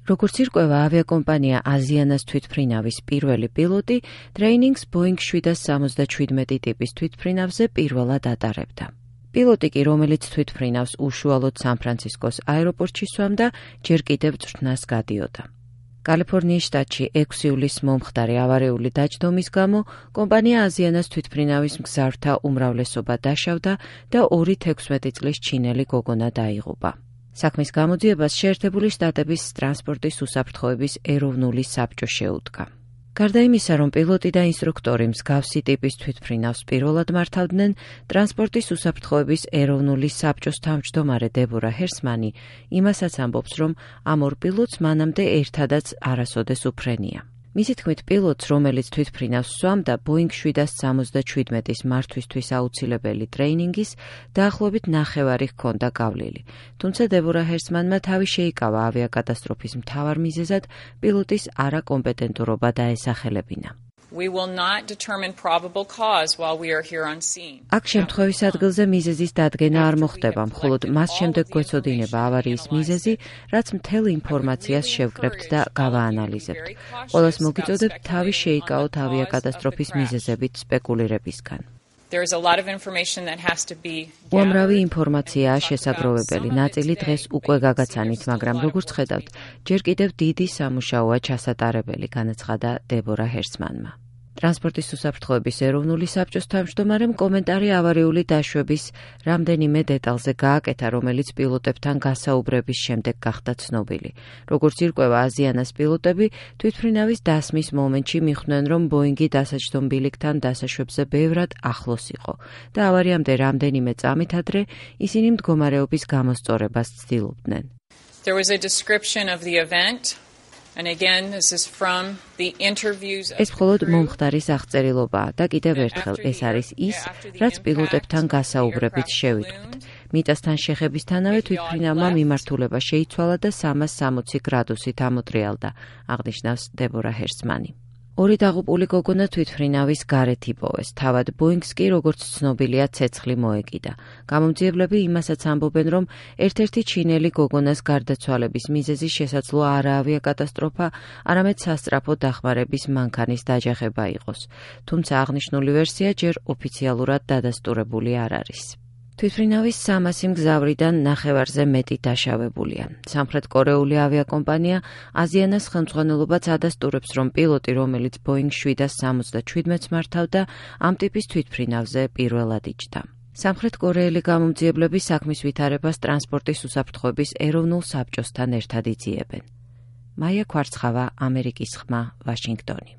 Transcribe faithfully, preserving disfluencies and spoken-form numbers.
როგორც ირკვევა, ავიაკომპანია აზიანას თვითმფრინავის პირველი პილოტი ტრეინინგს ბოინგ შვიდას სამოცდაჩვიდმეტი ტიპის თვითმფრინავზე პირველად ატარებდა. პილოტი კი, რომელიც თვითმფრინავს უშუალოდ სან-ფრანცისკოს აეროპორტში სვამდა, ჯერ კიდევ წვრთნას გადიოდა. კალიფორნიის შტატში ექვსი ივლისს მომხდარი ავარიული დაჯდომის გამო კომპანია აზიანას თვითმფრინავის მგზავრთა უმრავლესობა დაშავდა და ორი თექვსმეტი წლის ჩინელი გოგონა დაიღუპა. საქმის გამოძიებას შეერთებული შტატების ტრანსპორტის უსაფრთხოების ეროვნული საბჭო შეუდგა. გარდა იმისა, რომ პილოტი და ინსტრუქტორი მსგავსი ტიპის თვითმფრინავს პირველად მართავდნენ, ტრანსპორტის უსაფრთხოების ეროვნული საბჭოს თავმჯდომარე დებორა ჰერსმანი იმასაც ამბობს, რომ ამ ორ პილოტს მანამდე ერთადაც არასოდეს უფრენია. მისი თქმით, პილოტს, რომელიც თვითმფრინავს სვამდა, ბოინგ შვიდას სამოცდაჩვიდმეტის მართვისთვის აუცილებელი ტრეინინგის დაახლოებით ნახევარი ჰქონდა გავლილი. თუმცა დებორა ჰერსმანმა თავი შეიკავა ავიაკატასტროფის მთავარ მიზეზად პილოტის არაკომპეტენტურობა დაესახელებინა. We will not determine probable cause while we are here on scene. აქ შემთხვევის ადგილზე მიზეზის დადგენა არ მოხდება, მხოლოდ მას შემდეგ გვეცოდინება ავარიის მიზეზი, რაც მთელ ინფორმაციას შევკრებთ და გავაანალიზებთ. ყველას მოგიწოდებთ თავი შეიკავოთ ავიაკატასტროფის მიზეზებით სპეკულირებისგან. There is a lot of information that has to be უამრავი ინფორმაციაა შესაგროვებელი, ნაწილი დღეს უკვე გაგაცანით, მაგრამ როგორც ხედავთ, ჯერ კიდევ დიდი სამუშაოა ჩასატარებელი, განაცხადა დებორა ჰერსმანმა. ტრანსპორტის უსაფრთხოების ეროვნული საბჭოს თავმჯდომარემ კომენტარი ავარიული დაშვების რამდენიმე დეტალზე გააკეთა, რომელიც პილოტებთან გასაუბრების შემდეგ გახდა ცნობილი. როგორც ირკვევა, აზიანას პილოტები თვითმფრინავის დასმის მომენტში მიხვდნენ, რომ ბოინგი დასაჯდომ ბილიკთან დასაშვებზე ბევრად ახლოს იყო და ავარიამდე რამდენიმე წამით ადრე ისინი მდგომარეობის გამოსწორებას ცდილობდნენ. There was a description of the event. And again, this is from the interviews. ეს მხოლოდ მომხდარის აღწერილობაა და კიდევ ერთხელ ეს არის ის, რაც პილოტებთან გასაუბრებით შევიტყვით. მიწასთან შეხებისთანავე თვითმფრინავმა მიმართულება შეიცვალა და სამას სამოცი გრადუსით ამოტრიალდა, აღნიშნავს დებორა ჰერსმანი. ორი დაღუპული გოგონა თვითმფრინავის გარეთ იპოვეს, თავად ბოინგს კი, როგორც ცნობილია, ცეცხლი მოეკიდა. გამომძიებლები იმასაც ამბობენ, რომ ერთ-ერთი ჩინელი გოგონას გარდაცვალების მიზეზი შესაძლოა არა ავიაკატასტროფა, არამედ სასწრაფო დახმარების მანქანის დაჯახება იყოს. თუმცა აღნიშნული ვერსია ჯერ ოფიციალურად დადასტურებული არ არის. თვითმფრინავის სამასი მგზავრიდან ნახევარზე მეტი დაშავებულია. სამხრეთკორეული ავიაკომპანია აზიანას ხელმძღვანელობაც ადასტურებს, რომ პილოტი, რომელიც ბოინგ შვიდას სამოცდაჩვიდმეტს მართავდა, ამ ტიპის თვითმფრინავზე პირველად იჯდა. სამხრეთკორეელი გამომძიებლები საქმის ვითარებას ტრანსპორტის უსაფრთხოების ეროვნულ საბჭოსთან ერთად იძიებენ. მაია ქვარცხავა, ამერიკის ხმა, ვაშინგტონი.